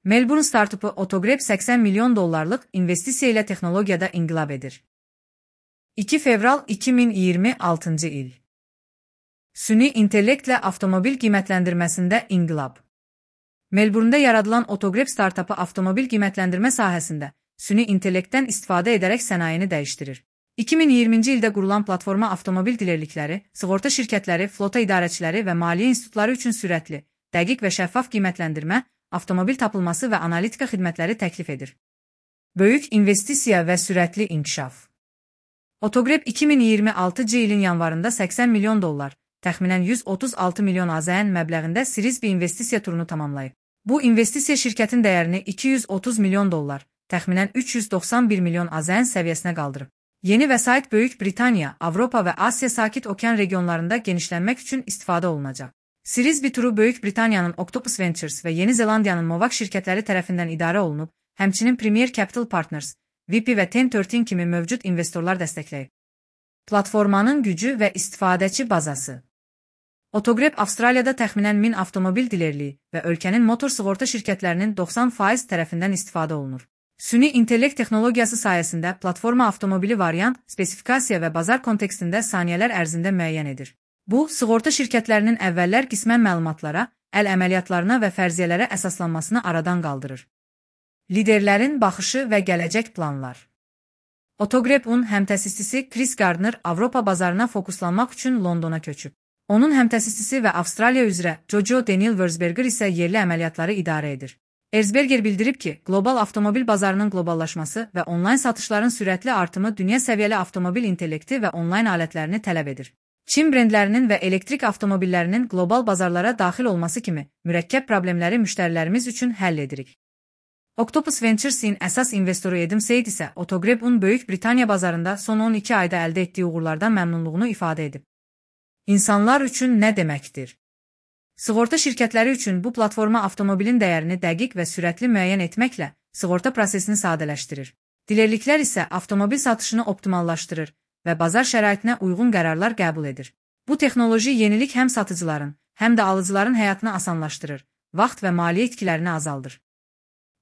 Melbourne startupı Autogrep 80 milyon dollarlıq investisiya ilə texnologiyada inqilab edir. 2 fevral 2026 il. Süni intellektlə avtomobil qiymətləndirməsində inqilab. Melbourne'da yaradılan Autogrep startupı avtomobil qiymətləndirmə sahəsində süni intellektdən istifadə edərək sənayeni dəyişdirir. 2020-ci ildə qurulan platforma avtomobil dilerlikləri, sığorta şirkətləri, flota idarəçiləri və maliyyə institutları üçün sürətli, dəqiq və şəffaf qiymətləndirmə, avtomobil tapılması və analitika xidmətləri təklif edir. Böyük investisiya və sürətli inkişaf. Autogrep 2026 ilin yanvarında 80 milyon dollar, təxminən 136 milyon AZN məbləğində Series B investisiya turunu tamamlayıb. Bu investisiya şirkətin dəyərini 230 milyon dollar, təxminən 391 milyon AZN səviyyəsinə qaldırıb. Yeni vəsait Böyük Britaniya, Avropa və Asiya Sakit Okean regionlarında genişlənmək üçün istifadə olunacaq. Series B turu Böyük Britaniyanın Octopus Ventures və Yeni Zelandiyanın Movac şirkətləri tərəfindən idarə olunub, həmçinin Premier Capital Partners, VP və 1013 kimi mövcud investorlar dəstəkləyib. Platformanın gücü və istifadəçi bazası. Autogrep Avstraliyada təxminən 1000 avtomobil dilerliyi və ölkənin motor sığorta şirkətlərinin 90% tərəfindən istifadə olunur. Süni intellekt texnologiyası sayəsində platforma avtomobili variant, spesifikasiya və bazar kontekstində saniyələr ərzində müəyyən edir. Bu, sığorta şirkətlərinin əvvəllər qismən məlumatlara, əl əməliyyatlarına və fərziyyələrə əsaslanmasını aradan qaldırır. Liderlərin baxışı və gələcək planlar. Autogrep-un həmtəsisçisi Chris Gardner Avropa bazarına fokuslanmaq üçün Londona köçüb. Onun həmtəsisçisi və Avstraliya üzrə Jojo Daniel Wurzberger isə yerli əməliyyatları idarə edir. Erzberger bildirib ki, qlobal avtomobil bazarının qloballaşması və onlayn satışların sürətli artımı dünya səviyyəli avtomobil intellekti və onlayn alətlərini tələb edir. Çin brendlərinin və elektrik avtomobillərinin qlobal bazarlara daxil olması kimi mürəkkəb problemləri müştərilərimiz üçün həll edirik. Octopus Ventures'in əsas investoru Adam Said isə Autogrep-un Böyük Britaniya bazarında son 12 ayda əldə etdiyi uğurlardan məmnunluğunu ifadə edib. İnsanlar üçün nə deməkdir? Sığorta şirkətləri üçün bu platforma avtomobilin dəyərini dəqiq və sürətli müəyyən etməklə sığorta prosesini sadələşdirir. Dilerliklər isə avtomobil satışını optimallaşdırır və bazar şəraitinə uyğun qərarlar qəbul edir. Bu texnoloji yenilik həm satıcıların, həm də alıcıların həyatını asanlaşdırır, vaxt və maliyyə itkilərini azaldır.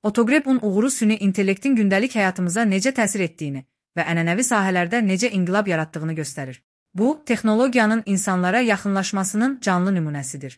Autogrep-un uğuru süni intellektin gündəlik həyatımıza necə təsir etdiyini və ənənəvi sahələrdə necə inqilab yaratdığını göstərir. Bu, texnologiyanın insanlara yaxınlaşmasının canlı nümunəsidir.